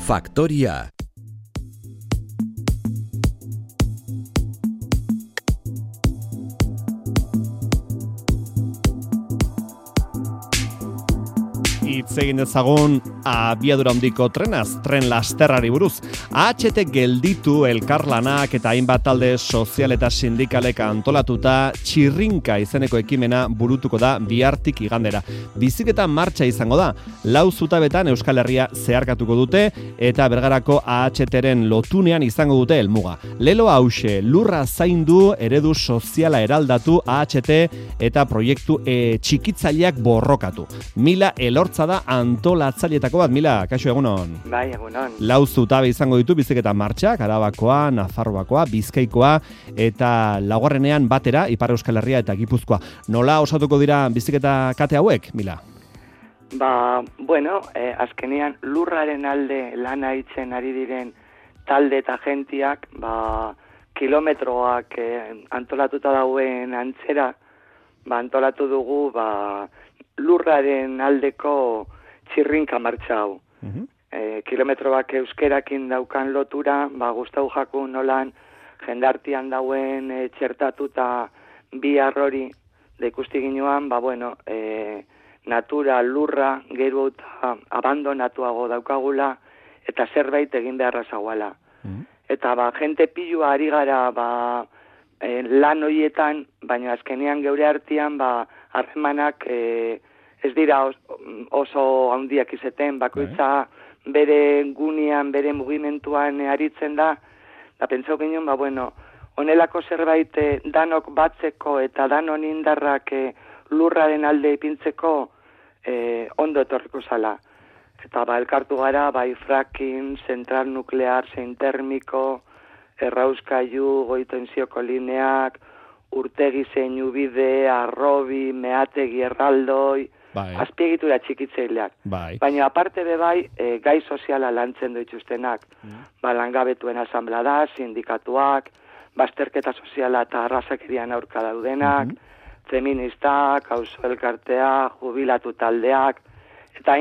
Faktoria. Hitz egin dezagun abiadura handiko trenaz, tren lasterrari buruz. AHT gelditu elkarlanak eta hainbat talde sozial eta sindikalek antolatuta txirrinka izeneko ekimena burutuko da bihartik igandera. Biziketa martxa izango da, 4 zutabetan Euskal Herria zeharkatuko dute eta Bergarako AHTren lotunean izango dute helmuga. Lelo hause, lurra zaindu, eredu soziala eraldatu, AHT eta proiektu txikitzaileak borrokatu. Mila Elortza da antolatzaileetako bat. Mila, kaixo, egunon. Bai, egunon. 4 zutabe izango ditu biziketa martxak, Arabakoa, Nafarroakoa, Bizkaikoa eta laugarrenean batera Ipar Euskal Herria eta Gipuzkoa. Nola osatuko dira biziketa kate hauek, Mila? Bueno, azkenean lurraren alde lana itzen ari diren talde eta gentiak, kilometroak antolatuta dauen antzera, antolatu dugu, lurraren aldeko txirrinka martxa hau. Kilometroak euskerakin daukan lotura, gustau jakun nolan jendartian dauen txertatuta bihar hori, da ikusti ginoan, natura, lurra, gero eta abandonatuago daukagula, eta zerbait egin beharra zagoala. Eta jente pilua ari gara lan horietan, baina azkenean geure artean harremanak ez dira oso handiak izeten, bakoitza bere gunean, bere mugimenduan aritzen da, eta pentsau ginen, honelako zerbait danok batzeko eta danon indarrak lurraren alde ipintzeko ondo etorriko zala. Eta elkartu gara, fracking, zentral nuklear, zein termiko, errauskailu, goitenzioko lineak, urtegi zein ubide, arrobi, meategi erraldoi, azpiegitura txikitzeileak. Baina aparte gai soziala lantzen dituztenak. Langabetuen asamblea, sindikatuak, bazterketa soziala eta arrazakerian aurka daudenak, feministak, auzo elkartea, jubilatu taldeak, eta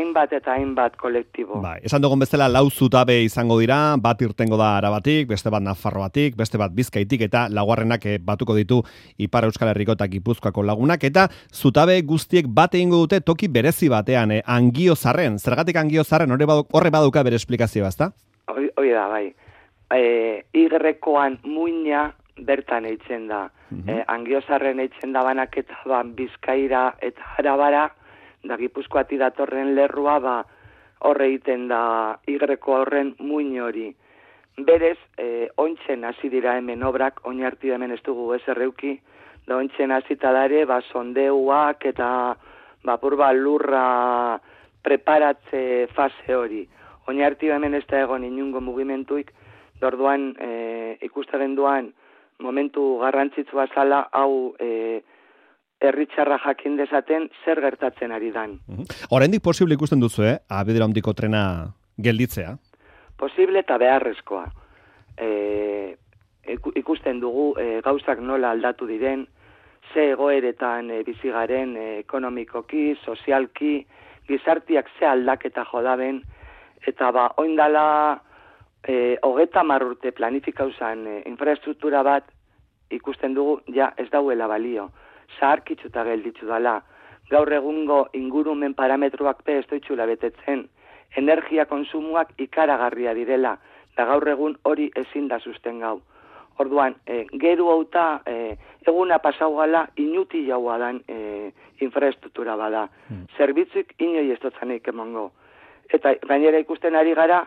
hainbat kolektibo. Esan dugun bezala 4 zutabe izango dira, bat irtengo da Arabatik, beste bat Nafarroatik, beste bat Bizkaitik, eta laugarrenak batuko ditu Ipar Euskal Herriko eta Gipuzkoako lagunak, eta zutabe guztiek bat egingo dute toki berezi batean, Angiozarren. Zergatik Angiozarren horre baduka bere esplikazioa, ezta? Hoi da, Igrekoan muina bertan eitzen da. Angiozarren eitzen da banaketa Bizkaira eta Arabara, da Gipuzkoati datorren lerrua horre egiten da Igreko horren muin hori. Berez, ontsen hasi dira hemen obrak, oinarti hemen ez dugu ezerreuki, da ontsen hasita dare, sondeuak eta lurra preparatze fase hori. Oinarti hemen ez da egon inungo mugimentuik, dorduan ikustaren duan momentu garrantzitsua zala, hau herritxarra jakin dezaten zer gertatzen ari dan. Oraindik posible ikusten duzu, abiadura handiko trena gelditzea? Posible eta beharrezkoa. Ikusten dugu gauzak nola aldatu diren, ze egoeretan bizigaren ekonomikoki, sozialki, gizartiak ze aldaketa jodaben, eta oindala 30 urte planifikauzan infrastruktura bat ikusten dugu ez dauela balio. Zaharkitzuta gelditzu dala. Gaur egungo ingurumen parametroak ez doitzula betetzen. Energia konsumoak ikaragarria direla. Da gaur egun hori ezin da susten gau. Orduan, geru hauta eguna pasau gala inuti jaua dan infrastruktura bada. Zerbitzuik inoi ez dotzanik emongo. Eta gainera ikusten ari gara,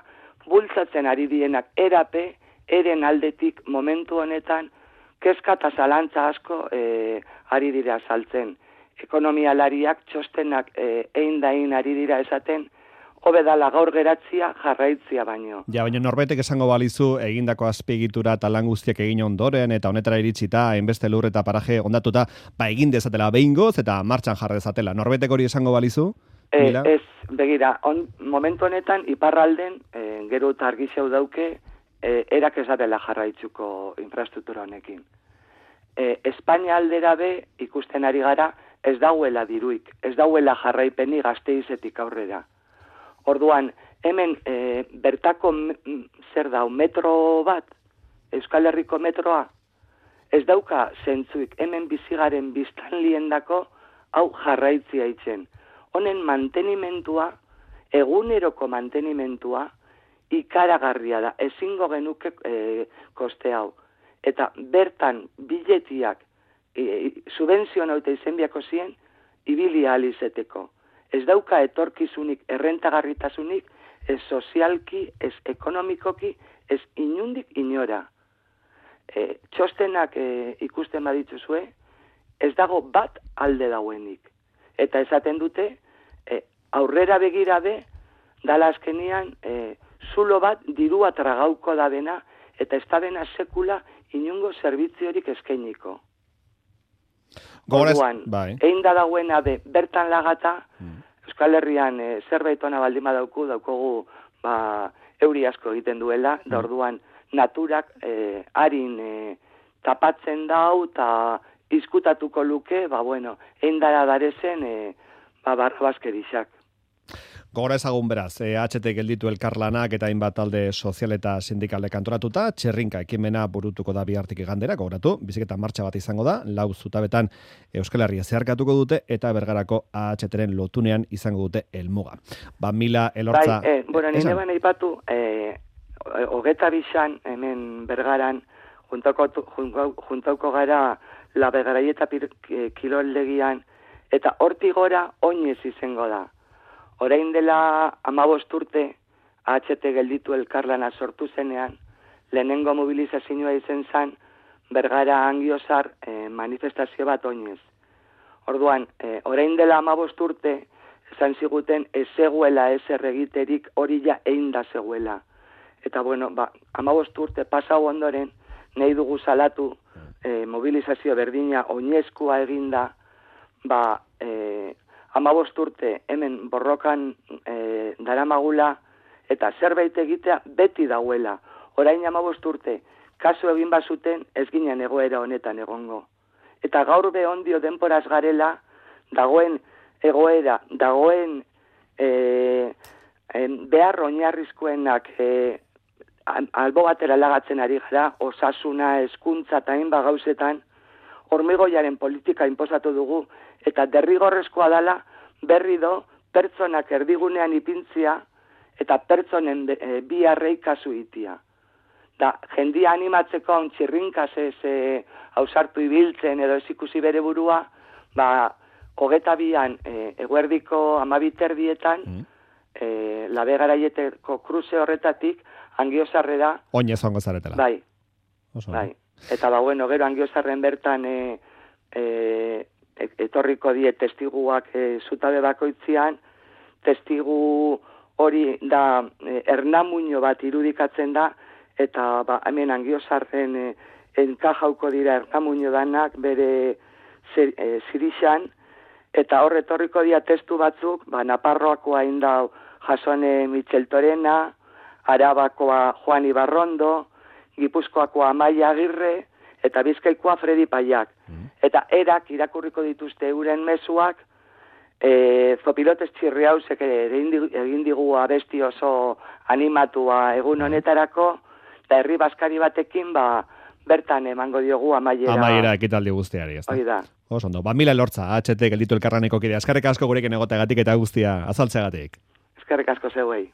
bultzatzen ari dienak erape, eren aldetik momentu honetan, kezka eta zalantza asko ari dira saltzen. Ekonomialariak txostenak egin ari dira esaten, hobedala gaur geratzia jarraitzia baino. Baina norbetek esango balizu egindako azpiegitura eta lan guztiak egin ondoren eta honetara iritsita, hainbeste lur eta paraje ondatuta, egin dezatela behingoz eta martxan jarra dezatela. Norbetek hori esango balizu? Ez, begira, momentu honetan iparralden, gero eta argizeu dauke, erak ez dela jarraitzuko infrastruktura honekin. Espainia aldera ikusten ari gara, ez dauela diruik, ez dauela jarraipeni Gasteizetik aurrera. Orduan, hemen bertako zer da, metro bat, Euskal Herriko metroa, ez dauka zentzuik, hemen bizigaren biztanliendako hau jarraitzia itzen. Honen mantenimentua, eguneroko mantenimentua, ikaragarria da, ezingo genuke koste hau. Eta bertan biletiak subentzio nauta izenbiako zien, ibili alizeteko. Ez dauka etorkizunik, errentagarritasunik, ez sozialki, ez ekonomikoki, ez inundik inora. Txostenak ikusten badituzue, ez dago bat alde dauenik. Eta esaten dute, aurrera begirabe, dala azkenian, zulo bat dirua tragauko da dena, eta ez da dena sekula inungo zerbitziorik eskainiko. Orduan, egin da dagoena bertan lagata, Euskal Herrian zerbait ona baldin daukogu euri asko egiten duela, da orduan naturak harin tapatzen dau eta izkutatuko luke, egin dara darezen barrabaskerixak. Gogora ezagun beraz, HT gelditu elkarlanak eta hainbat talde sozial eta sindikalek antolatuta, txerrinka ekimena burutuko da bihartik igandera, gogoratu, biziketa martxa bat izango da, 4 zutabetan Euskal Herria zeharkatuko dute eta Bergarako AHT-ren lotunean izango dute helmuga. Mila Elortza... nire baina ipatu, 22 hemen Bergaran juntauko gara la Bergaraieta kiroldegian eta hortik gora oinez izango da. Orain dela 15 urte, AHT gelditu elkarlana sortu zenean, lehenengo mobilizazioa izen zen, Bergara Angiozar manifestazio bat oinez. Orduan, orain dela 15 urte, esan ziguten ez zegoela ezer egiterik hori ja egin da zegoela. Eta 15 urte pasau ondoren, nahi dugu salatu mobilizazio berdina oinezkoa eginda, 15 urte hemen borrokan daramagula eta zerbait egitea beti dauela. Orain 15 urte, kasu egin bazuten ez ginen egoera honetan egongo. Eta gaur behondio denporaz garela, dagoen egoera, dagoen behar oinarrizkoenak albo batera lagatzen ari gara, osasuna, hezkuntza eta hainbat gauzetan, hormigoiaren politika inposatu dugu, eta derrigorrezkoa dela berri do pertsonak erdigunean ipintzia eta pertsonen biharrei kasu itia. Da, jendia animatzeko haun txirrinkaz hausartu ibiltzen edo ez ikusi bere burua, 22an eguerdiko 12 Labe Garaieteko kruze horretatik Angiozarrera... Oinez ongo zaretela. Bai. Eta gero Angiozarren bertan etorriko die testiguak zutabe bakoitzean, testigu hori da Ernamuño bat irudikatzen da, eta hemen Angiozarren enkajauko dira Ernamuño danak bere zirixan, eta hor etorriko dira testu batzuk, Naparroakoa inda Jasone Micheltorena, Arabakoa Juan Ibarrondo, Gipuzkoakoa Amaia Agirre, eta Bizkaikoa Fredi Paiak. Eta erak irakurriko dituzte euren mezuak, Zopilotes Txirriausek egin digu abesti oso animatua egun honetarako, eta herri baskari batekin bertan emango diogu amaiera. Amaiera ekitaldi guztiari, ez da? Hoi da. Oso ondo. Mila Elortza, HT gelditu elkarlaneko kidea. Eskerrik asko gurekin egoteagatik eta guztia azaltzeagatik. Eskerrik asko zeuei.